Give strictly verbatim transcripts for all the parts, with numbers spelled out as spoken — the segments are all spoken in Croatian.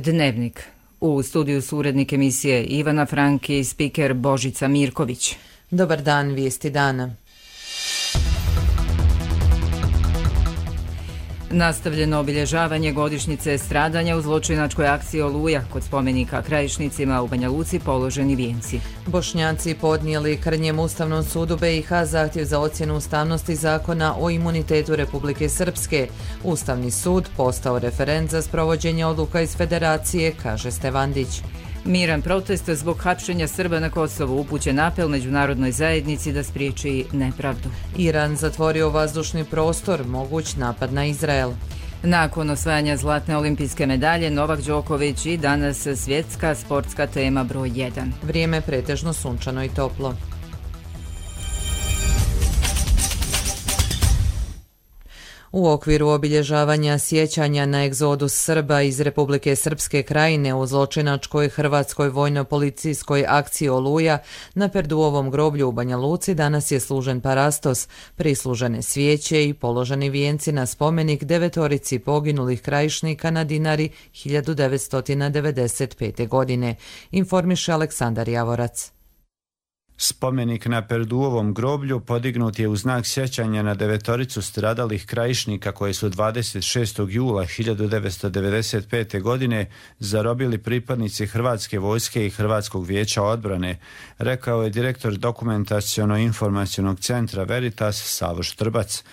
Dnevnik. U studiju su urednik emisije Ivana Frank i spiker Božica Mirković. Dobar dan, vijesti dana. Nastavljeno obilježavanje godišnjice stradanja u zločinačkoj akciji Oluja. Kod spomenika Krajišnicima u Banja Luci položeni vijenci. Bošnjaci podnijeli krnjem Ustavnom sudu B i H zahtjev za ocjenu ustavnosti zakona o imunitetu Republike Srpske. Ustavni sud postao referent za sprovođenje odluka iz Federacije, kaže Stevandić. Miran protest zbog hapšenja Srba na Kosovu, upućen apel međunarodnoj zajednici da spriječi nepravdu. Iran zatvorio vazdušni prostor, moguć napad na Izrael. Nakon osvajanja zlatne olimpijske medalje, Novak Đoković i danas svjetska sportska tema broj jedan. Vrijeme pretežno sunčano i toplo. U okviru obilježavanja sjećanja na egzodus Srba iz Republike Srpske Krajine u zločinačkoj hrvatskoj vojno-policijskoj akciji Oluja na Perduovom groblju u Banja Luci danas je služen parastos, prislužene svijeće i položeni vijenci na spomenik devetorici poginulih krajišnika na Dinari hiljadu devetsto devedeset pete. godine, informiše Aleksandar Javorac. Spomenik na Perduovom groblju podignut je u znak sjećanja na devetoricu stradalih krajišnika koje su dvadeset šestog jula hiljadu devetsto devedeset pete. godine zarobili pripadnici Hrvatske vojske i Hrvatskog vijeća odbrane, rekao je direktor dokumentaciono-informacionog centra Veritas Savo Štrbac.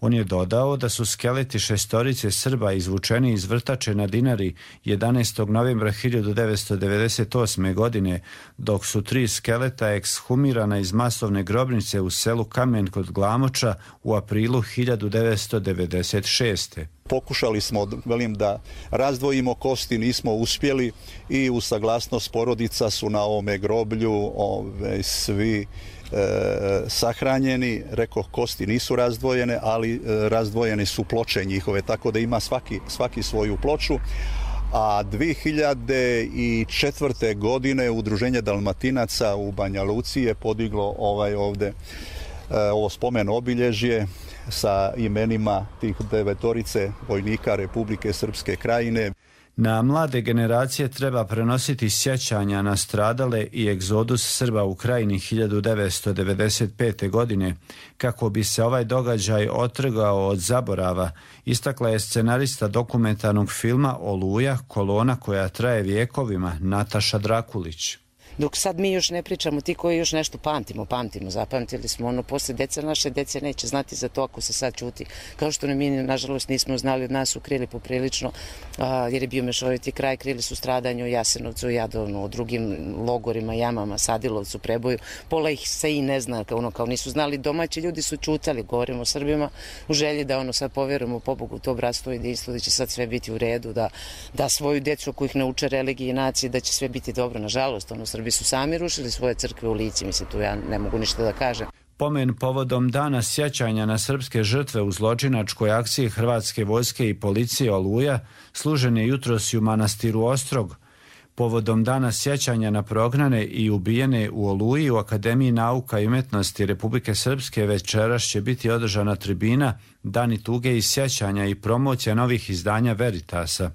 On je dodao da su skeleti šestorice Srba izvučeni iz vrtače na Dinari jedanaestog novembra hiljadu devetsto devedeset osme. godine, dok su tri skeleta ekshumirana iz masovne grobnice u selu Kamen kod Glamoča u aprilu hiljadu devetsto devedeset šeste. Pokušali smo, velim, da razdvojimo kosti, nismo uspjeli i u saglasnost porodica su na ovome groblju ove, svi E, sahranjeni, rekao, kosti nisu razdvojene, ali e, razdvojene su ploče njihove, tako da ima svaki, svaki svoju ploču. A dvije hiljade četvrte. godine Udruženje Dalmatinaca u Banja Luci je podiglo ovaj ovde e, ovo spomen obilježje sa imenima tih devetorice vojnika Republike Srpske Krajine. Na mlade generacije treba prenositi sjećanja na stradale i egzodus Srba u Krajini hiljadu devetsto devedeset pete. godine, kako bi se ovaj događaj otrgao od zaborava, istakla je scenarista dokumentarnog filma Oluja, kolona koja traje vjekovima, Nataša Drakulić. Dok sad mi još ne pričamo, ti koji još nešto pamtimo, pamtimo, zapamtili smo ono, posle deca naše dece neće znati za to ako se sad čuti. Kao što mi, nažalost, nismo znali, od nas su krili poprilično, a, jer je bio mešoviti kraj, krili su stradanje u Jasenovcu, Jadovnu, o drugim logorima, jamama, Sadilovcu, Preboju. Pola ih se i ne zna, ono, kao nisu znali, domaći ljudi su čutali, govorimo o Srbima, u želji da ono sad povjerujemo pobogu to bratstvo i jedinstvo, da će sad sve biti u redu, da, da svoju decu ako ih nauče religiji i naciji, da će sve biti dobro. Nažalost, ono, Srbi su sami rušili svoje crkve u Lici, mislim, tu ja ne mogu ništa da kažem. Pomen povodom dana sjećanja na srpske žrtve u zločinačkoj akciji Hrvatske vojske i policije Oluja služen je jutros i u manastiru Ostrog. Povodom dana sjećanja na prognane i ubijene u Oluji u Akademiji nauka i umjetnosti Republike Srpske večeras će biti održana tribina Dani tuge i sjećanja i promocija novih izdanja Veritasa.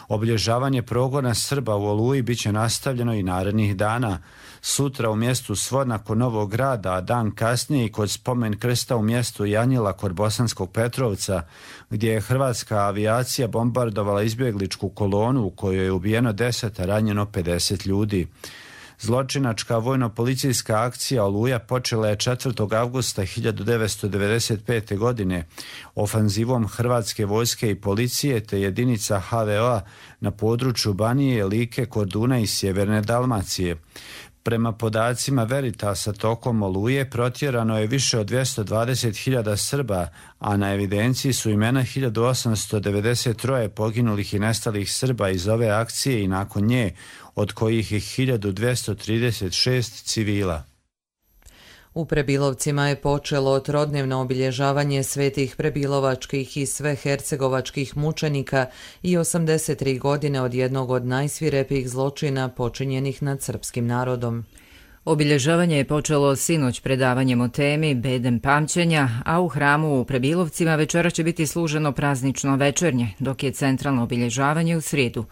Obilježavanje progona Srba u Oluji bit će nastavljeno i narednih dana. Sutra u mjestu Svodna kod Novog Grada, a dan kasnije i kod spomen krsta u mjestu Janjila kod Bosanskog Petrovca, gdje je hrvatska avijacija bombardovala izbjegličku kolonu u kojoj je ubijeno deset, a ranjeno pedeset ljudi. Zločinačka vojno-policijska akcija Oluja počela je četvrtog avgusta hiljadu devetsto devedeset pete. godine ofanzivom Hrvatske vojske i policije te jedinica ha ve o-a na području Banije, Like, Korduna i Sjeverne Dalmacije. Prema podacima Veritasa, tokom Oluje protjerano je više od dvjesto dvadeset hiljada Srba, a na evidenciji su imena hiljadu osamsto devedeset tri poginulih i nestalih Srba iz ove akcije i nakon nje, od kojih je hiljadu dvjesto trideset šest civila. U Prebilovcima je počelo trodnevno obilježavanje svetih prebilovačkih i svehercegovačkih mučenika i osamdeset tri godine od jednog od najsvirepijih zločina počinjenih nad srpskim narodom. Obilježavanje je počelo sinoć predavanjem o temi Bedem pamćenja, a u hramu u Prebilovcima večera će biti služeno praznično večernje, dok je centralno obilježavanje u srijedu.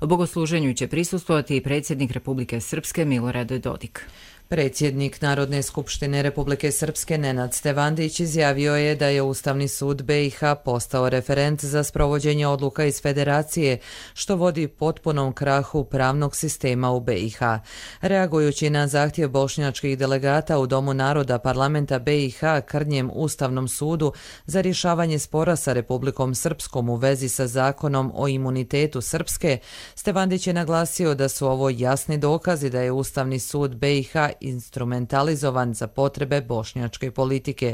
Bogosluženju će prisustvovati i predsjednik Republike Srpske Milorad Dodik. Predsjednik Narodne skupštine Republike Srpske Nenad Stevandić izjavio je da je Ustavni sud B i H postao referent za sprovođenje odluka iz Federacije, što vodi potpunom krahu pravnog sistema u B i H. Reagujući na zahtjev bošnjačkih delegata u Domu naroda parlamenta B i H krnjem Ustavnom sudu za rješavanje spora sa Republikom Srpskom u vezi sa zakonom o imunitetu Srpske, Stevandić je naglasio da su ovo jasni dokazi da je Ustavni sud B i H instrumentalizovan za potrebe bošnjačke politike.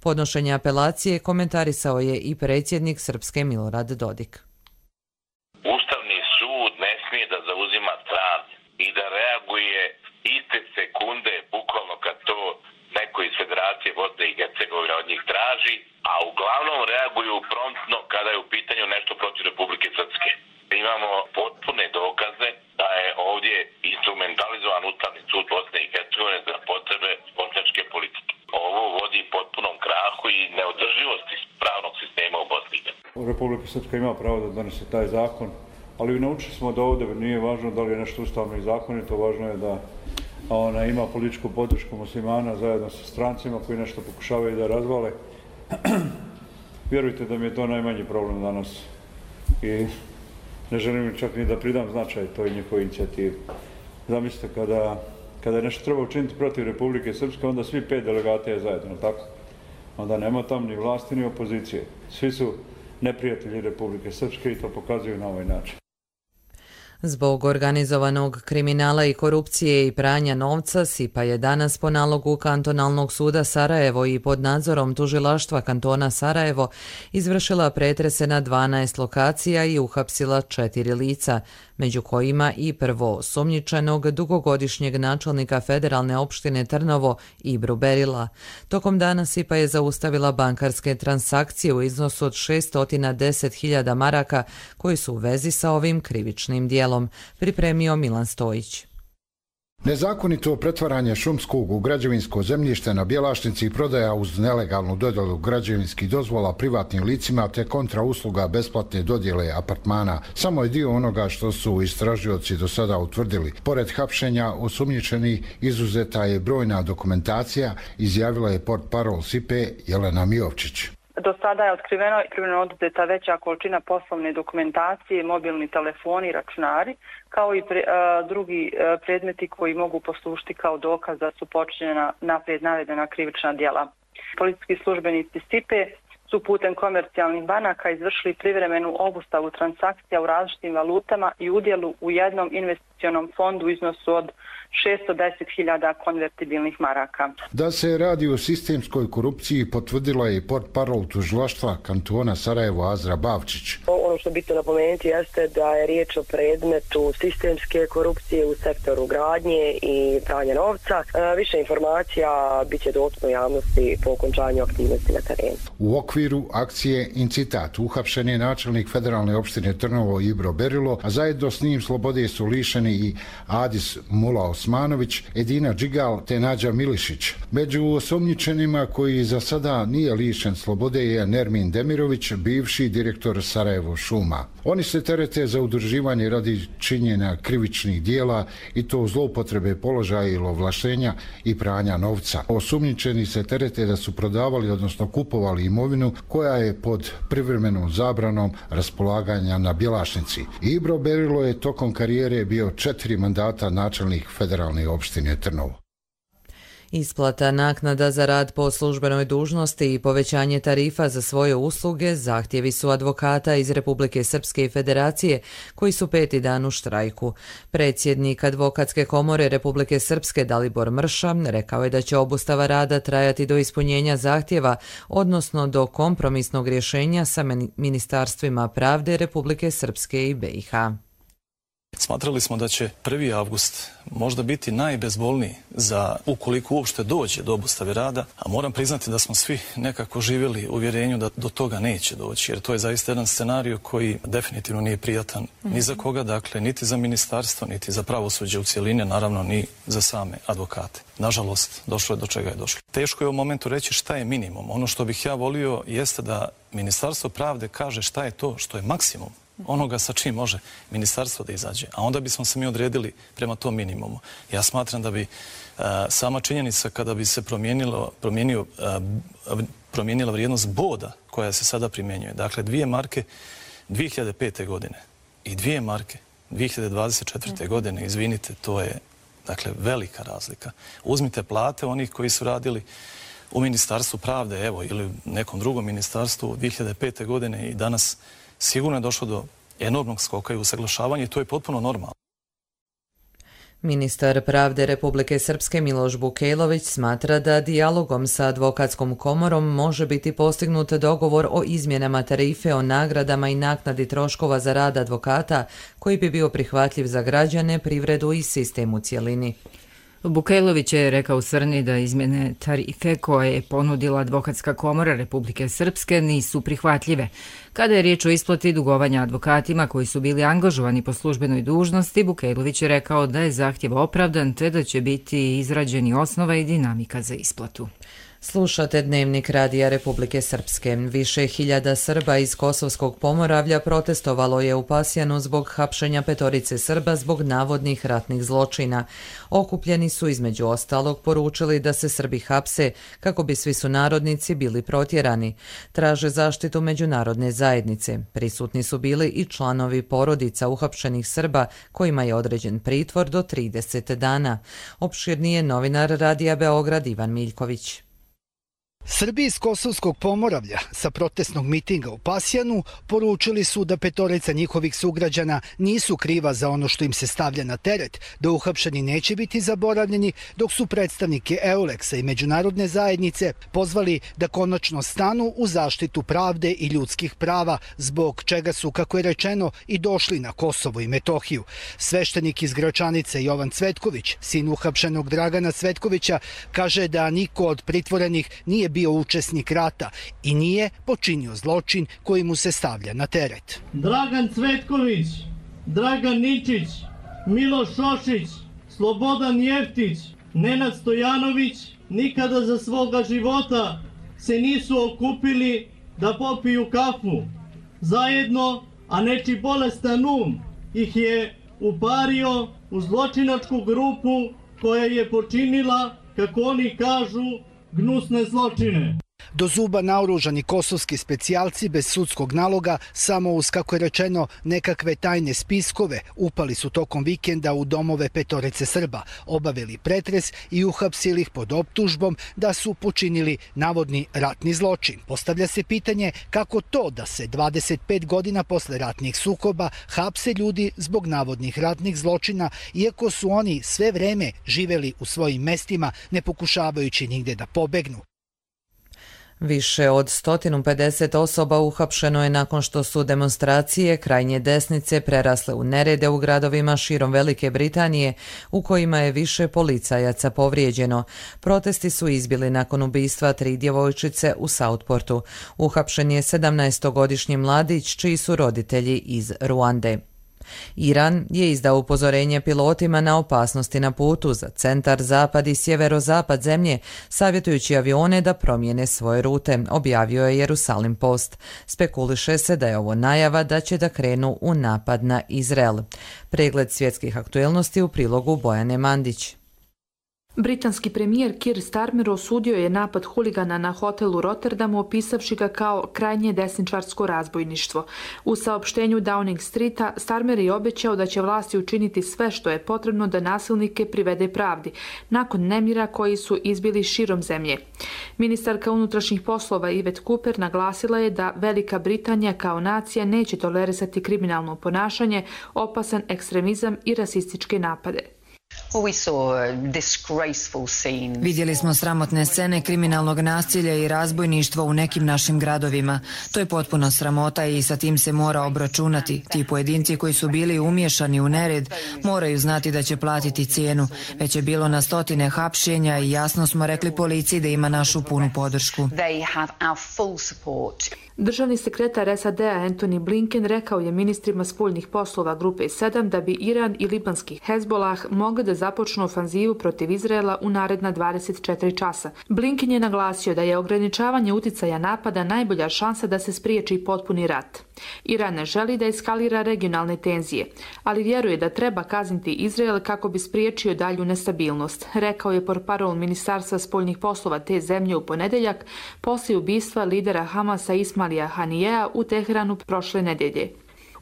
Podnošenje apelacije komentarisao je i predsjednik Srpske Milorad Dodik. Ustavni sud ne smije da zauzima stran i da reaguje iste sekunde, bukvalno kad to neko iz Federacije Bosne i Hercegovine od njih traži, a uglavnom reaguju promptno kada je u pitanju nešto protiv Republike Srpske. Imamo potpune dokaze da je ovdje instrumentalizovan Ustavni sud Bosne i Hercegovine za potrebe bošnjačke politike. Ovo vodi potpunom krahu i neodrživosti pravnog sistema u Bosni i Hercegovini. Republika Srpska ima pravo da donese taj zakon, ali naučili smo da ovdje nije važno da li je nešto ustavno i zakonito, važno je da ona ima političku podršku muslimana zajedno sa strancima koji nešto pokušavaju da razvale. Vjerujte da mi je to najmanji problem danas i ne želim čak ni da pridam značaj toj njihovoj inicijativi. Zamislite, kada, kada je nešto treba učiniti protiv Republike Srpske, onda svi pet delegata je zajedno, tako? Onda nema tam ni vlasti ni opozicije. Svi su neprijatelji Republike Srpske i to pokazuju na ovaj način. Zbog organizovanog kriminala i korupcije i pranja novca, SIPA je danas po nalogu Kantonalnog suda Sarajevo i pod nadzorom tužilaštva kantona Sarajevo izvršila pretrese na dvanaest lokacija i uhapsila četiri lica, među kojima i prvo osumnjičenog dugogodišnjeg načelnika federalne opštine Trnovo Ibru Berila. Tokom dana SIPA je zaustavila bankarske transakcije u iznosu od šesto deset hiljada maraka koji su u vezi sa ovim krivičnim dijelom, pripremio Milan Stojić. Nezakonito pretvaranje šumskog u građevinsko zemljište na Bjelašnici i prodaja uz nelegalnu dodjelu građevinskih dozvola privatnim licima te kontra usluga besplatne dodjele apartmana samo je dio onoga što su istražioci do sada utvrdili. Pored hapšenja osumnjičenih izuzeta je brojna dokumentacija, izjavila je portparol SIPE Jelena Mijovčić. Do sada je otkriveno i privremeno oduzeta veća količina poslovne dokumentacije, mobilni telefoni, računari, kao i pre, a, drugi a, predmeti koji mogu poslužiti kao dokaz da su počinjena naprijed navedena krivična djela. Policijski službenici SIPE su putem komercijalnih banaka izvršili privremenu obustavu transakcija u različitim valutama i udjelu u jednom investicionom fondu u iznosu od šesto deset hiljada konvertibilnih maraka. Da se radi o sistemskoj korupciji potvrdila je portparol tužilaštva kantona Sarajevo Azra Bavčić. Ono što je bitno napomenuti jeste da je riječ o predmetu sistemske korupcije u sektoru gradnje i pranja novca. Više informacija bit će dostupno javnosti po okončanju aktivnosti na terenu. U okviru akcije Incitat uhapšen je načelnik federalne opštine Trnovo Ibro Berilo, a zajedno s njim slobode su lišeni i Adis Mula Osmanović, Edina Džigal te Nađa Milišić. Među osumnjičenima koji za sada nije lišen slobode je Nermin Demirović, bivši direktor Sarajevo šuma. Oni se terete za udruživanje radi činjenja krivičnih dijela i to zloupotrebe položaja ili ovlaštenja i pranja novca. Osumnjičeni se terete da su prodavali, odnosno kupovali imovinu koja je pod privremenom zabranom raspolaganja na Bjelašnici. Ibro Berilo je tokom karijere bio četiri mandata načelnik federalne opštine Trnovo. Isplata naknada za rad po službenoj dužnosti i povećanje tarifa za svoje usluge zahtjevi su advokata iz Republike Srpske i Federacije koji su peti dan u štrajku. Predsjednik Advokatske komore Republike Srpske Dalibor Mrša rekao je da će obustava rada trajati do ispunjenja zahtjeva, odnosno do kompromisnog rješenja sa ministarstvima pravde Republike Srpske i B i H. Smatrali smo da će prvi avgust možda biti najbezbolniji za ukoliko uopšte dođe do obustave rada, a moram priznati da smo svi nekako živjeli u uvjerenju da do toga neće doći, jer to je zaista jedan scenarij koji definitivno nije prijatan mm-hmm. ni za koga, dakle, niti za ministarstvo, niti za pravosuđe u cjelini, naravno ni za same advokate. Nažalost, došlo je do čega je došlo. Teško je u momentu reći šta je minimum. Ono što bih ja volio jeste da Ministarstvo pravde kaže šta je to što je maksimum onoga sa čim može ministarstvo da izađe, a onda bismo se mi odredili prema tom minimumu. Ja smatram da bi a, sama činjenica kada bi se promijenilo, promijenio, a, promijenila vrijednost boda koja se sada primjenjuje. Dakle, dvije marke dvije hiljade pete. godine i dvije marke dvije hiljade dvadeset četvrte. godine, izvinite, to je dakle velika razlika. Uzmite plate onih koji su radili u Ministarstvu pravde, evo, ili nekom drugom ministarstvu dvije hiljade pete. godine i danas sigurno je došlo do enormnog skoka i usaglašavanja i to je potpuno normalno. Ministar pravde Republike Srpske Miloš Bukejlović smatra da dijalogom sa advokatskom komorom može biti postignut dogovor o izmjenama tarife o nagradama i naknadi troškova za rad advokata koji bi bio prihvatljiv za građane, privredu i sistem u cjelini. Bukejlović je rekao Srni da izmjene tarife koje je ponudila Advokatska komora Republike Srpske nisu prihvatljive. Kada je riječ o isplati dugovanja advokatima koji su bili angažovani po službenoj dužnosti, Bukejlović je rekao da je zahtjev opravdan te da će biti izrađeni osnova i dinamika za isplatu. Slušate Dnevnik Radija Republike Srpske. Više hiljada Srba iz Kosovskog Pomoravlja protestovalo je u Pasjanu zbog hapšenja petorice Srba zbog navodnih ratnih zločina. Okupljeni su između ostalog poručili da se Srbi hapse kako bi svi sunarodnici bili protjerani. Traže zaštitu međunarodne zajednice. Prisutni su bili i članovi porodica uhapšenih Srba kojima je određen pritvor do trideset dana. Opširnije novinar Radija Beograd Ivan Miljković. Srbi iz Kosovskog Pomoravlja sa protestnog mitinga u Pasjanu poručili su da petorica njihovih sugrađana nisu kriva za ono što im se stavlja na teret, da uhapšeni neće biti zaboravljeni, dok su predstavnike Euleksa i međunarodne zajednice pozvali da konačno stanu u zaštitu pravde i ljudskih prava, zbog čega su, kako je rečeno, i došli na Kosovo i Metohiju. Sveštenik iz Gračanice Jovan Cvetković, sin uhapšenog Dragana Cvetkovića, kaže da niko od pritvorenih nije bio učesnik rata i nije počinio zločin koji mu se stavlja na teret. Dragan Cvetković, Dragan Ničić, Miloš Šošić, Slobodan Jeftić, Nenad Stojanović nikada za svoga života se nisu okupili da popiju kafu zajedno, a nečiji bolestan um ih je upario u zločinačku grupu koja je počinila, kako oni kažu, gnusne zločine. Do zuba naoružani kosovski specijalci bez sudskog naloga, samo uz, kako je rečeno, nekakve tajne spiskove, upali su tokom vikenda u domove petorice Srba, obavili pretres i uhapsili ih pod optužbom da su počinili navodni ratni zločin. Postavlja se pitanje kako to da se dvadeset pet godina posle ratnih sukoba hapse ljudi zbog navodnih ratnih zločina, iako su oni sve vreme živeli u svojim mestima, ne pokušavajući nigde da pobegnu. Više od sto pedeset osoba uhapšeno je nakon što su demonstracije krajnje desnice prerasle u nerede u gradovima širom Velike Britanije, u kojima je više policajaca povrijeđeno. Protesti su izbili nakon ubistva tri djevojčice u Southportu. Uhapšen je sedamnaestogodišnji mladić čiji su roditelji iz Ruande. Iran je izdao upozorenje pilotima na opasnosti na putu za centar, zapad i sjeverozapad zemlje, savjetujući avione da promijene svoje rute, objavio je Jerusalim Post. Spekuliše se da je ovo najava da će da krenu u napad na Izrael. Pregled svjetskih aktuelnosti u prilogu Bojane Mandić. Britanski premijer Keir Starmer osudio je napad huligana na hotel u Rotterdamu, opisavši ga kao krajnje desničarsko razbojništvo. U saopštenju Downing Streeta Starmer je obećao da će vlasti učiniti sve što je potrebno da nasilnike privede pravdi, nakon nemira koji su izbili širom zemlje. Ministarka unutrašnjih poslova Yvette Cooper naglasila je da Velika Britanija kao nacija neće tolerisati kriminalno ponašanje, opasan ekstremizam i rasističke napade. Vidjeli smo sramotne scene kriminalnog nasilja i razbojništva u nekim našim gradovima. To je potpuno sramota i sa tim se mora obračunati. Ti pojedinci koji su bili umiješani u nered moraju znati da će platiti cijenu. Već je bilo na stotine hapšenja i jasno smo rekli policiji da ima našu punu podršku. Državni sekretar S A D-a Antony Blinken rekao je ministrima spoljnih poslova grupe sedam da bi Iran i libanski Hezbolah mogli da započnu ofanzivu protiv Izraela u naredna dvadeset četiri časa. Blinken je naglasio da je ograničavanje uticaja napada najbolja šansa da se spriječi potpuni rat. Iran ne želi da eskalira regionalne tenzije, ali vjeruje da treba kazniti Izrael kako bi spriječio dalju nestabilnost, rekao je portparol Ministarstva spoljnih poslova te zemlje u ponedeljak poslije ubistva lidera Hamasa Ismaila Hanijea u Teheranu prošle nedjelje.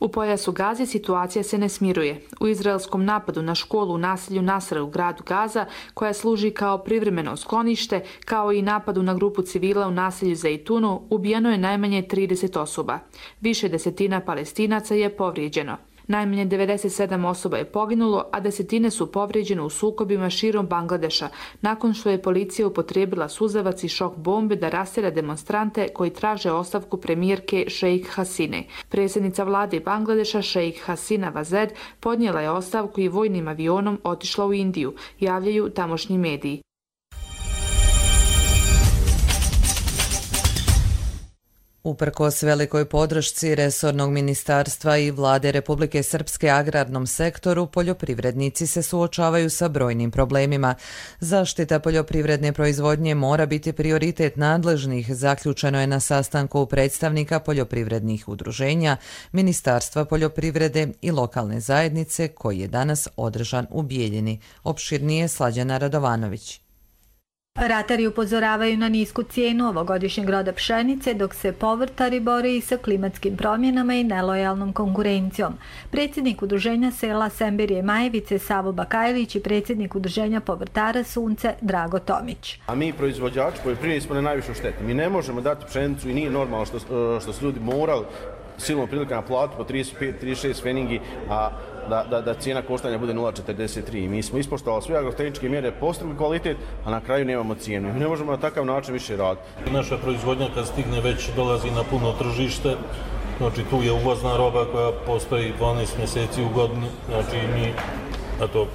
U pojasu Gaze situacija se ne smiruje. U izraelskom napadu na školu u naselju Nasra u gradu Gaza, koja služi kao privremeno sklonište, kao i napadu na grupu civila u naselju Zejtunu, ubijeno je najmanje trideset osoba. Više desetina Palestinaca je povrijeđeno. Najmanje devedeset sedam osoba je poginulo, a desetine su povrijeđene u sukobima širom Bangladeša, nakon što je policija upotrijebila suzavac i šok bombe da rastjera demonstrante koji traže ostavku premijerke Šejk Hasine. Predsjednica vlade Bangladeša Šejk Hasina Vazed podnijela je ostavku i vojnim avionom otišla u Indiju, javljaju tamošnji mediji. Uprkos velikoj podršci resornog ministarstva i vlade Republike Srpske agrarnom sektoru, poljoprivrednici se suočavaju sa brojnim problemima. Zaštita poljoprivredne proizvodnje mora biti prioritet nadležnih, zaključeno je na sastanku predstavnika poljoprivrednih udruženja, Ministarstva poljoprivrede i lokalne zajednice koji je danas održan u Bijeljini. Opširnije Slađana Radovanović. Ratari upozoravaju na nisku cijenu ovogodišnjeg roda pšenice, dok se povrtari bore i sa klimatskim promjenama i nelojalnom konkurencijom. Predsjednik udruženja sela Semberije Majevice Savo Bakajlić i predsjednik udruženja povrtara Sunce Drago Tomić. A mi proizvođači poljoprivredni smo na najvišu štetu. Mi ne možemo dati pšenicu i nije normalno što, što su ljudi morali silnom prilikama platu po trideset pet trideset šest feningi, a Da, da, da cijena koštanja bude nula zarez četrdeset tri. Mi smo ispoštovali sve agrotehničke mjere, postigli kvalitet, a na kraju nemamo cijenu. Mi ne možemo na takav način više raditi. Naša proizvodnja kad stigne već dolazi na puno tržište, znači tu je uvozna roba koja postoji dvanaest mjeseci u godini, znači mi a to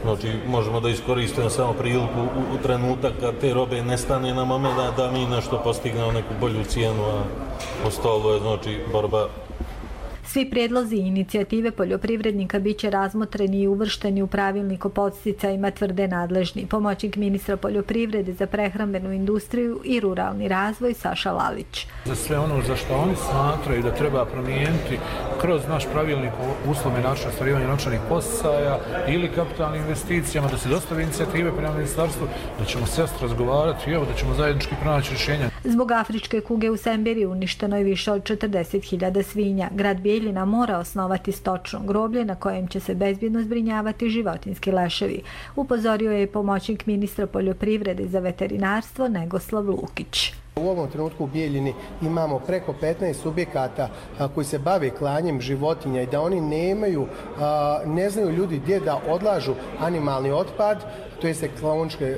znači možemo da iskoristimo samo priliku u, u trenutak kad te robe nestane na moment da, da mi nešto postignemo neku bolju cijenu, a ostalo je znači borba. Svi prijedlozi i inicijative poljoprivrednika bit će razmotreni i uvršteni u pravilnik o podsticajima, tvrde nadležni. Pomoćnik ministra poljoprivrede za prehrambenu industriju i ruralni razvoj Saša Lalić. Za sve ono za što oni smatraju da treba promijeniti kroz naš pravilnik o uslovima načina ostvarivanja novčanih podsticaja ili kapitalnim investicijama, da se dostave inicijative prema ministarstvu, da ćemo sjest razgovarati i evo da ćemo zajednički pronaći rješenja. Zbog afričke kuge u Semberiji uništeno je više od četrdeset hiljada svinja. Grad Bijeljina mora osnovati stočno groblje na kojem će se bezbjedno zbrinjavati životinjski leševi. Upozorio je pomoćnik ministra poljoprivrede za veterinarstvo Negoslav Lukić. U ovom trenutku u Bijeljini imamo preko petnaest subjekata a, koji se bave klanjem životinja i da oni nemaju, a, ne znaju ljudi gdje da odlažu animalni otpad, to je kloničke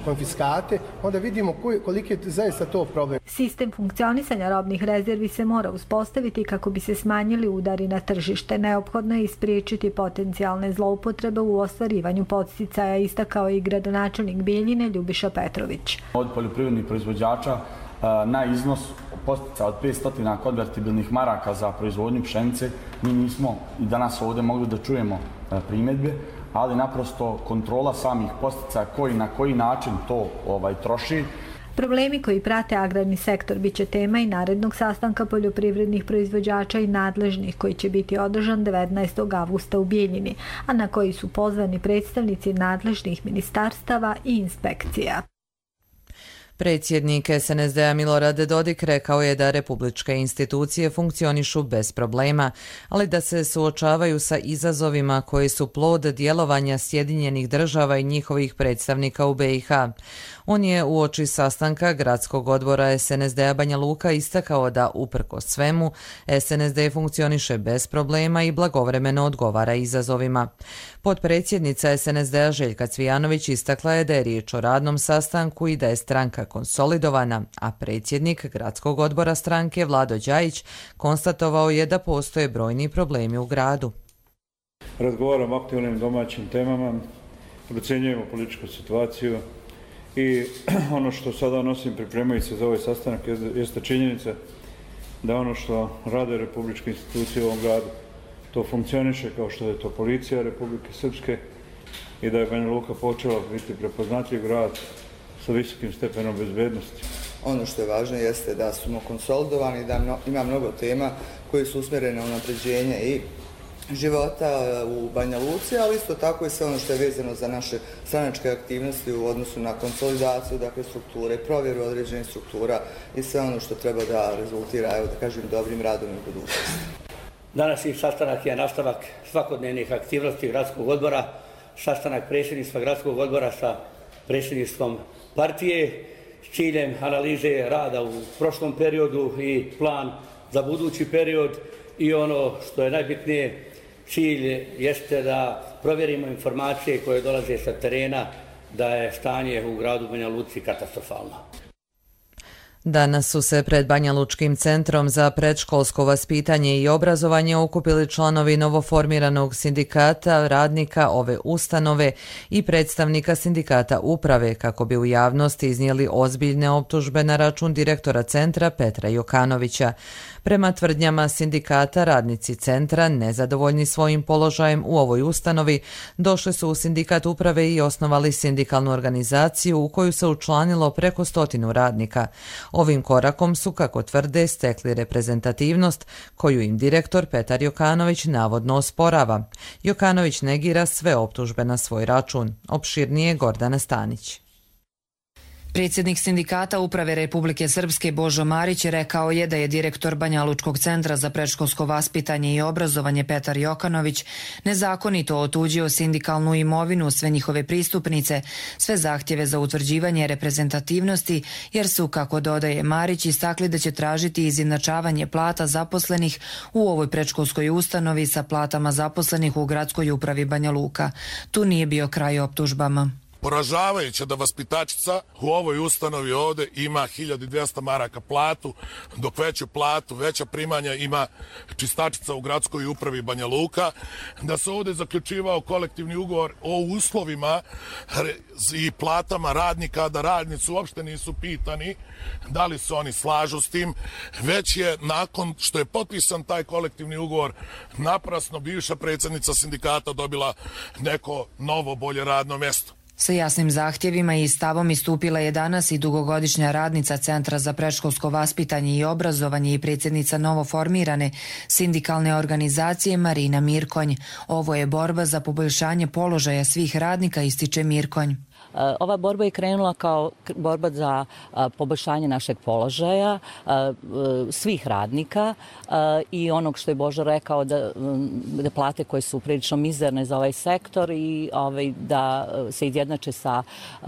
konfiskate, onda vidimo koji, koliki je zaista to problem. Sistem funkcionisanja robnih rezervi se mora uspostaviti kako bi se smanjili udari na tržište. Neophodno je ispriječiti potencijalne zloupotrebe u ostvarivanju podsticaja, istakao i gradonačelnik Bijeljine Ljubiša Petrović. Od poljoprivrednih proizvođača na iznos postica od petsto konvertibilnih maraka za proizvodnju pšenice mi nismo i danas ovdje mogli da čujemo primjedbe, ali naprosto kontrola samih postica koji na koji način to ovaj troši. Problemi koji prate agrarni sektor bit će tema i narednog sastanka poljoprivrednih proizvođača i nadležnih koji će biti održan devetnaestog avgusta u Bijeljini, a na koji su pozvani predstavnici nadležnih ministarstava i inspekcija. Predsjednik S N S D-a Milorad Dodik rekao je da republičke institucije funkcionišu bez problema, ali da se suočavaju sa izazovima koji su plod djelovanja Sjedinjenih država i njihovih predstavnika u B i H. On je uoči sastanka Gradskog odbora S N S D-a Banja Luka istakao da uprkos svemu S N S D funkcioniše bez problema i blagovremeno odgovara izazovima. Potpredsjednica S N S D-a Željka Cvijanović istakla je da je riječ o radnom sastanku i da je stranka konsolidovana, a predsjednik Gradskog odbora stranke Vlado Đajić konstatovao je da postoje brojni problemi u gradu. Razgovaramo o aktualnim domaćim temama, procjenjujemo političku situaciju I ono što sada nosim pripremajući se za ovaj sastanak jeste činjenica da ono što rade republičke institucije u ovom gradu, to funkcioniše kao što je to policija Republike Srpske i da je Banja Luka počela biti prepoznatljiv grad sa visokim stepenom bezbednosti. Ono što je važno jeste da smo konsolidovani, da ima mnogo tema koje su usmjerene na unapređenje i života u Banja Luci, ali isto tako i sve ono što je vezano za naše stranačke aktivnosti u odnosu na konsolidaciju, dakle strukture, provjeru određenih struktura i sve ono što treba da rezultira, evo da kažem, dobrim radom u budućnosti. Današnji sastanak je nastavak svakodnevnih aktivnosti gradskog odbora, sastanak predsjedništva gradskog odbora sa predsjedništvom partije s ciljem analize rada u prošlom periodu i plan za budući period i ono što je najbitnije, cilj jeste da provjerimo informacije koje dolaze sa terena da je stanje u gradu Banja Luci katastrofalno. Danas su se pred Banja Lučkim centrom za predškolsko vaspitanje i obrazovanje okupili članovi novoformiranog sindikata radnika ove ustanove i predstavnika sindikata uprave kako bi u javnosti iznijeli ozbiljne optužbe na račun direktora centra Petra Jokanovića. Prema tvrdnjama sindikata, radnici centra, nezadovoljni svojim položajem u ovoj ustanovi, došli su u sindikat uprave i osnovali sindikalnu organizaciju u koju se učlanilo preko stotinu radnika. Ovim korakom su, kako tvrde, stekli reprezentativnost koju im direktor Petar Jokanović navodno osporava. Jokanović negira sve optužbe na svoj račun. Opširnije Gordana Stanić. Predsjednik sindikata uprave Republike Srpske Božo Marić rekao je da je direktor Banja Lučkog centra za predškolsko vaspitanje i obrazovanje Petar Jokanović nezakonito otuđio sindikalnu imovinu, sve njihove pristupnice, sve zahtjeve za utvrđivanje reprezentativnosti, jer su, kako dodaje Marić, istakli da će tražiti izjednačavanje plata zaposlenih u ovoj predškolskoj ustanovi sa platama zaposlenih u gradskoj upravi Banja Luka. Tu nije bio kraj optužbama. Poražavajuće da vaspitačica u ovoj ustanovi ovde ima hiljadu dvjesto maraka platu, dok veću platu, veća primanja ima čistačica u gradskoj upravi Banja Luka, da se ovde zaključivao kolektivni ugovor o uslovima i platama radnika, da radnici uopšte nisu pitani da li se oni slažu s tim, već je nakon što je potpisan taj kolektivni ugovor naprasno bivša predsjednica sindikata dobila neko novo bolje radno mjesto. Sa jasnim zahtjevima i stavom istupila je danas i dugogodišnja radnica Centra za predškolsko vaspitanje i obrazovanje i predsjednica novoformirane sindikalne organizacije Marina Mirkonj. Ovo je borba za poboljšanje položaja svih radnika, ističe Mirkonj. Ova borba je krenula kao borba za poboljšanje našeg položaja svih radnika i onog što je Božo rekao da, da plate koje su prilično mizerne za ovaj sektor i ovaj, da se izjednače sa,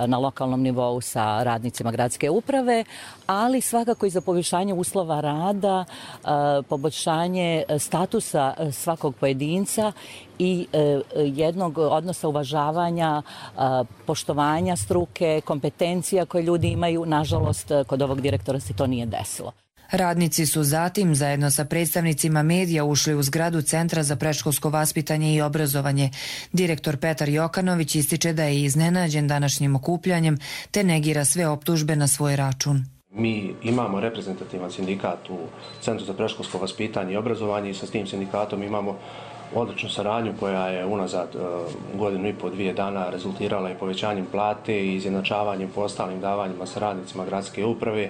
na lokalnom nivou sa radnicima gradske uprave, ali svakako i za poboljšanje uslova rada, poboljšanje statusa svakog pojedinca i jednog odnosa uvažavanja, poštovanja struke, kompetencija koje ljudi imaju. Nažalost, kod ovog direktora se to nije desilo. Radnici su zatim zajedno sa predstavnicima medija ušli u zgradu Centra za predškolsko vaspitanje i obrazovanje. Direktor Petar Jokanović ističe da je iznenađen današnjim okupljanjem te negira sve optužbe na svoj račun. Mi imamo reprezentativan sindikat u Centru za predškolsko vaspitanje i obrazovanje i sa tim sindikatom imamo odličnu saradnju koja je unazad uh, godinu i po dvije dana rezultirala i povećanjem plate i izjednačavanjem po ostalim davanjima sa radnicima gradske uprave,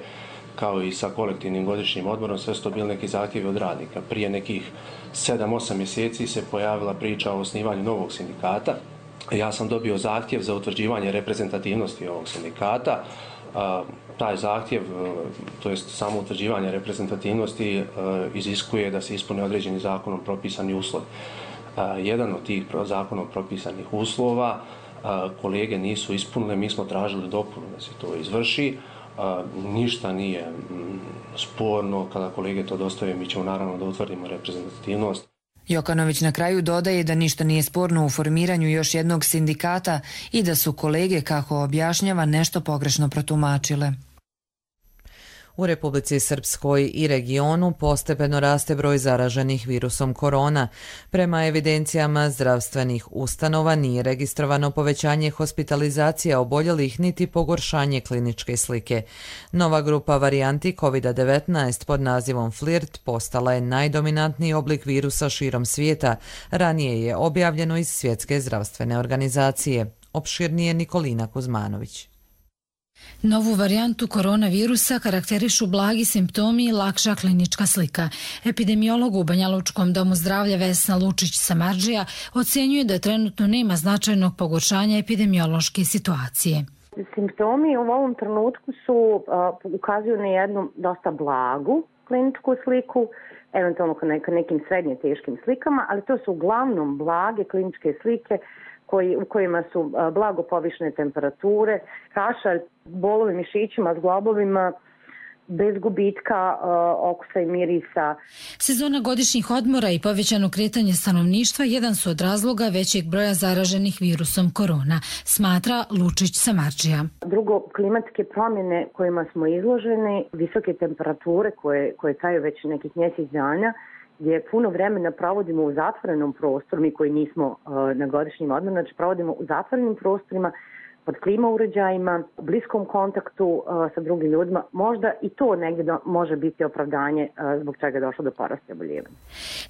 kao i sa kolektivnim godišnjim odmorom. Sve su to bili neki zahtjevi od radnika. Prije nekih sedam osam mjeseci se pojavila priča o osnivanju novog sindikata. Ja sam dobio zahtjev za utvrđivanje reprezentativnosti ovog sindikata. Uh, taj zahtjev, uh, to jest samo utvrđivanje reprezentativnosti, uh, iziskuje da se ispune određeni zakonom propisani uslovi. Uh, jedan od tih zakonom propisanih uslova uh, kolege nisu ispunile, mi smo tražili dopunu da se to izvrši. Uh, ništa nije mm, sporno, kada kolege to dostave mi ćemo naravno da utvrdimo reprezentativnost. Jokanović na kraju dodaje da ništa nije sporno u formiranju još jednog sindikata i da su kolege, kako objašnjava, nešto pogrešno protumačile. U Republici Srpskoj i regionu postepeno raste broj zaraženih virusom korona. Prema evidencijama zdravstvenih ustanova nije registrovano povećanje hospitalizacija oboljelih niti pogoršanje kliničke slike. Nova grupa varijanti kovid devetnaest pod nazivom Flirt postala je najdominantniji oblik virusa širom svijeta. Ranije je objavljeno iz Svjetske zdravstvene organizacije. Opširnije Nikolina Kuzmanović. Novu varijantu koronavirusa karakterišu blagi simptomi i lakša klinička slika. Epidemiolog u Banjalučkom domu zdravlja Vesna Lučić-Samardžija ocenjuje da trenutno nema značajnog pogoršanja epidemiološke situacije. Simptomi u ovom trenutku su uh, ukazuju na jednu dosta blagu kliničku sliku, eventualno ka nekim srednje teškim slikama, ali to su uglavnom blage kliničke slike koji, u kojima su blago povišene temperature, kašalj, bolovi mišićima, zglobovima, bez gubitka uh, okusa i mirisa. Sezona godišnjih odmora i povećano kretanje stanovništva jedan su od razloga većeg broja zaraženih virusom korona, smatra Lučić-Samardžija. Drugo, klimatske promjene kojima smo izloženi, visoke temperature koje, koje traju već nekih mjesec dana, gdje puno vremena provodimo u zatvorenom prostoru, mi koji nismo uh, na godišnjim odmorima, znači provodimo u zatvorenim prostorima, pod klima uređajima, u bliskom kontaktu uh, sa drugim ljudima, možda i to negdje do, može biti opravdanje uh, zbog čega je došlo do porasta oboljevanja.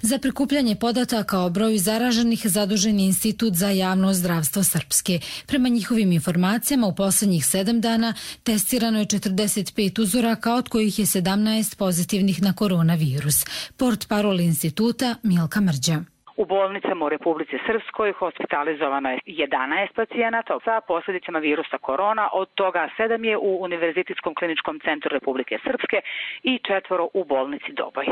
Za prikupljanje podataka o broju zaraženih zadužen je Institut za javno zdravstvo Srpske. Prema njihovim informacijama u posljednjih sedam dana testirano je četrdeset pet uzoraka, od kojih je sedamnaest pozitivnih na koronavirus. Portparol instituta Milka Mrđa. U bolnicama u Republici Srpskoj hospitalizovano je jedanaest pacijenata sa posljedicama virusa korona, od toga sedam je u Univerzitetskom kliničkom centru Republike Srpske i četvoro u bolnici Doboj.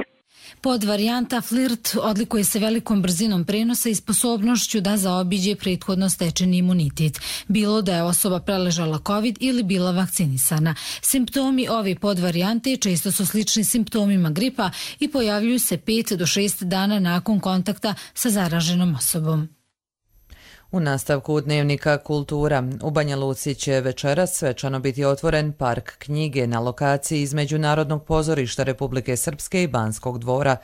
Podvarijanta Flirt odlikuje se velikom brzinom prenosa i sposobnošću da zaobiđe prethodno stečeni imunitet, bilo da je osoba preležala COVID ili bila vakcinisana. Simptomi ove podvarijante često su slični simptomima gripa i pojavljuju se pet do šest dana nakon kontakta sa zaraženom osobom. U nastavku dnevnika Kultura u Banja Luci će večeras svečano biti otvoren park knjige na lokaciji između Narodnog pozorišta Republike Srpske i Banskog dvora.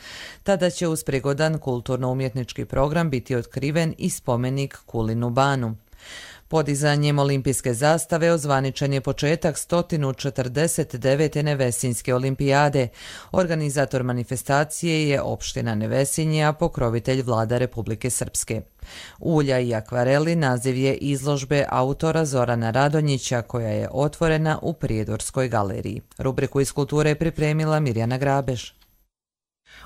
Tada će uz prigodan kulturno-umjetnički program biti otkriven i spomenik Kulinu banu. Podizanjem olimpijske zastave ozvaničen je početak sto četrdeset devete Nevesinjske olimpijade. Organizator manifestacije je opština Nevesinje, a pokrovitelj vlada Republike Srpske. Ulja i akvareli naziv je izložbe autora Zorana Radonjića, koja je otvorena u Prijedorskoj galeriji. Rubriku iz kulture je pripremila Mirjana Grabež.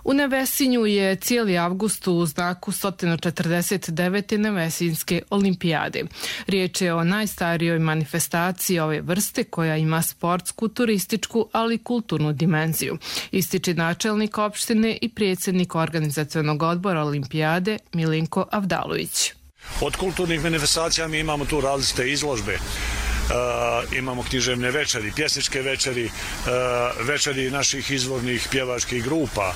U Nevesinju je cijeli avgust u znaku sto četrdeset devete Nevesinjske olimpijade. Riječ je o najstarijoj manifestaciji ove vrste koja ima sportsku, turističku, ali i kulturnu dimenziju, ističe načelnik opštine i predsjednik organizacionog odbora olimpijade Milinko Avdalović. Od kulturnih manifestacija mi imamo tu različite izložbe. Uh, imamo književne večeri, pjesničke večeri, uh, večeri naših izvornih pjevačkih grupa,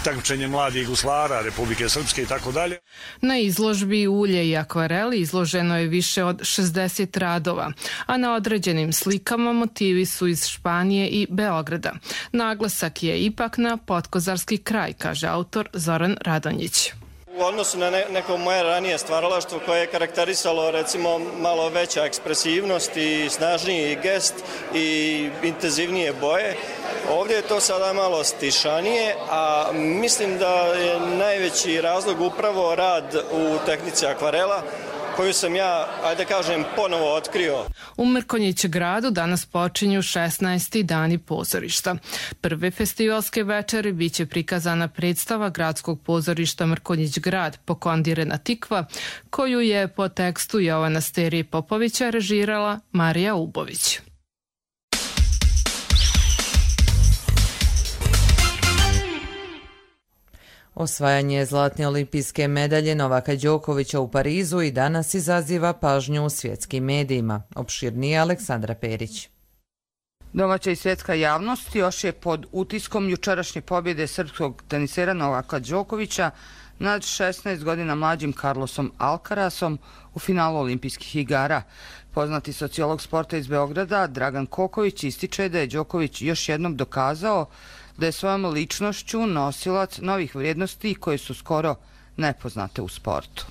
takmičenje mladih guslara Republike Srpske i tako dalje. Na izložbi ulje i akvareli izloženo je više od šezdeset radova, a na određenim slikama motivi su iz Španije i Beograda. Naglasak je ipak na Potkozarski kraj, kaže autor Zoran Radonjić. U odnosu na ne, neko moje ranije stvaralaštvo koje je karakterisalo recimo malo veća ekspresivnost i snažniji gest i intenzivnije boje, ovdje je to sada malo stišanije, a mislim da je najveći razlog upravo rad u tehnici akvarela, koju sam ja, ajde kažem, ponovo otkrio. U Mrkonjić gradu danas počinju šesnaesti dani pozorišta. Prve festivalske večeri biće prikazana predstava gradskog pozorišta Mrkonjić grad Pokondirena tikva, koju je po tekstu Jovana Sterije Popovića režirala Marija Ubović. Osvajanje zlatne olimpijske medalje Novaka Đokovića u Parizu i danas izaziva pažnju u svjetskim medijima. Opširnije Aleksandra Perić. Domaća i svjetska javnost još je pod utiskom jučerašnje pobjede srpskog tenisera Novaka Đokovića nad šesnaest godina mlađim Carlosom Alcarasom u finalu olimpijskih igara. Poznati sociolog sporta iz Beograda Dragan Koković ističe da je Đoković još jednom dokazao da je svojom ličnošću nosilac novih vrijednosti koje su skoro nepoznate u sportu.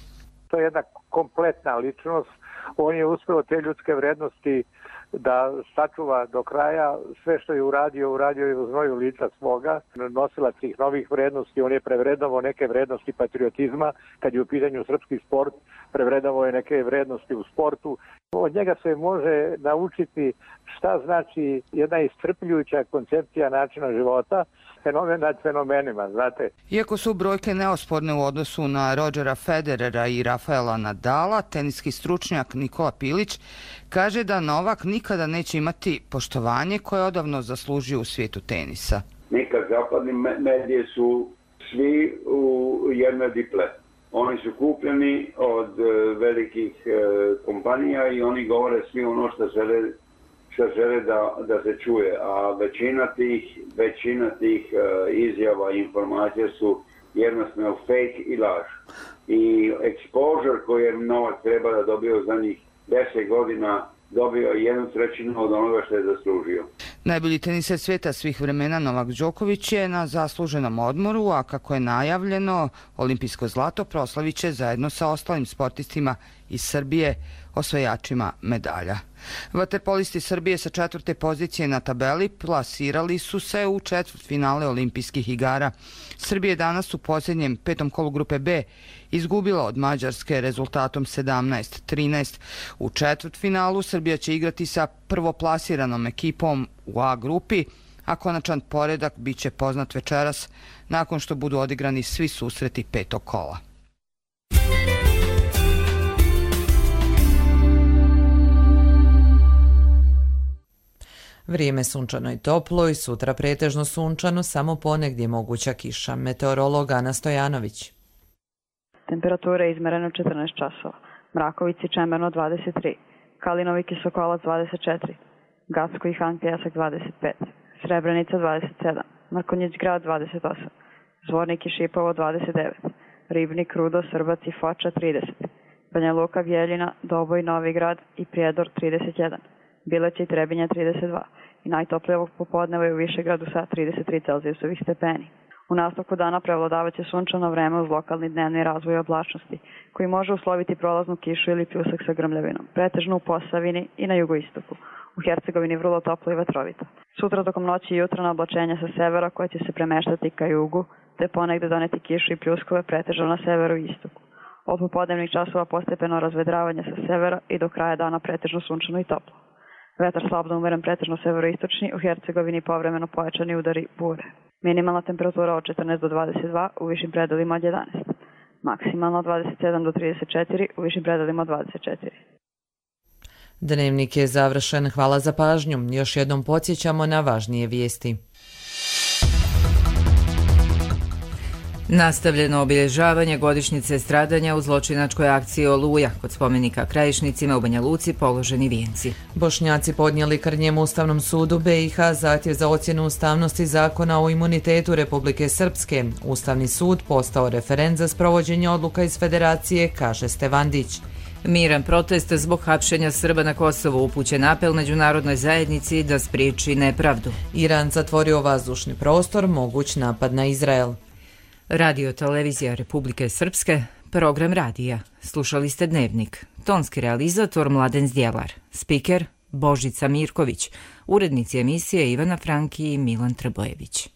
To je jedna kompletna ličnost. On je uspeo te ljudske vrednosti da sačuva do kraja. Sve što je uradio, uradio je u znoju lica svoga. Nosilac tih novih vrednosti, on je prevredovao neke vrednosti patriotizma. Kad je u pitanju srpski sport, prevredovao je neke vrednosti u sportu. Od njega se može naučiti šta znači jedna iscrpljujuća koncepcija načina života, fenomen nad fenomenima, znate. Iako su brojke neosporne u odnosu na Rodgera Federera i Rafaela Nadala, teniski stručnjak Nikola Pilić kaže da Novak nikada neće imati poštovanje koje je odavno zaslužio u svijetu tenisa. Nikad zapadni medije su svi u jednoj diple. Oni su kupljeni od velikih kompanija i oni govore svi ono što žele, što žele da, da se čuje. A većina tih, većina tih izjava i informacija su jednostavno fake i laž. I exposure koji je Novak treba da dobio za njih deset godina dobio jednu trećinu od onoga što je zaslužio. Najbolji teniser svijeta svih vremena Novak Đoković je na zasluženom odmoru, a kako je najavljeno, olimpijsko zlato proslavit će zajedno sa ostalim sportistima iz Srbije, osvajačima medalja. Vaterpolisti Srbije sa četvrte pozicije na tabeli plasirali su se u četvrtfinale olimpijskih igara. Srbija danas u posljednjem petom kolu grupe B izgubila od Mađarske rezultatom sedamnaest trinaest. U četvrtfinalu Srbija će igrati sa prvoplasiranom ekipom u A grupi, a konačan poredak bit će poznat večeras nakon što budu odigrani svi susreti petog kola. Vrijeme sunčano i toplo i sutra pretežno sunčano, samo ponegdje moguća kiša. Meteorolog Ana Stojanović. Temperatura je izmerena četrnaest časova. Mraković i Čemerno dvadeset tri, Kalinovik i Sokolac dvadeset četiri, Gacko i Hanke Jasak dvadeset pet, Srebrenica dvadeset sedam, Mrkonjić Grad dvadeset osam, Zvornik i Šipovo dvadeset devet, Ribnik, Rudo, Srbac i Foča trideset, Banja Luka, Bjeljina, Doboj, Novi Grad i Prijedor trideset jedan, Bileća i Trebinja trideset dva i najtoplije ovog popodneva je u Višegradu sa trideset tri Celzijusovih stepeni. U nastavku dana prevladavaće sunčano vreme uz lokalni dnevni razvoj oblačnosti, koji može usloviti prolaznu kišu ili pljusak sa grmljavinom, pretežno u Posavini i na jugoistoku. U Hercegovini vrlo toplo i vetrovito. Sutra tokom noći i jutra na oblačenja sa severa koje će se premeštati ka jugu, te ponegde doneti kišu i pljuskove pretežno na severu i istoku. Od popodnevnih časova postepeno razvedravanje sa severa i do kraja dana pretežno sunčano i toplo. Vetar slabno umeren pretežno severoistočni, u Hercegovini povremeno pojačani udari bure. Minimalna temperatura od četrnaest do dvadeset dva, u višim predelima od jedanaest. Maksimalno od dvadeset sedam do trideset četiri, u višim predelima od dvadeset četiri. Dnevnik je završen. Hvala za pažnju. Još jednom podsjećamo na važnije vijesti. Nastavljeno obilježavanje godišnjice stradanja u zločinačkoj akciji Oluja. Kod spomenika Krajišnicima u Banja Luci položeni vijenci. Bošnjaci podnijeli Krnjem Ustavnom sudu B i H zahtjev za ocjenu ustavnosti zakona o imunitetu Republike Srpske. Ustavni sud postao referent za sprovođenje odluka iz Federacije, kaže Stevandić. Miran protest zbog hapšenja Srba na Kosovu, upućen apel međunarodnoj zajednici da spriječi nepravdu. Iran zatvorio vazdušni prostor, moguć napad na Izrael. Radio televizija Republike Srpske, program radija. Slušali ste Dnevnik. Tonski realizator Mladen Zdjelar. Spiker Božica Mirković. Urednici emisije Ivana Franki i Milan Trbojević.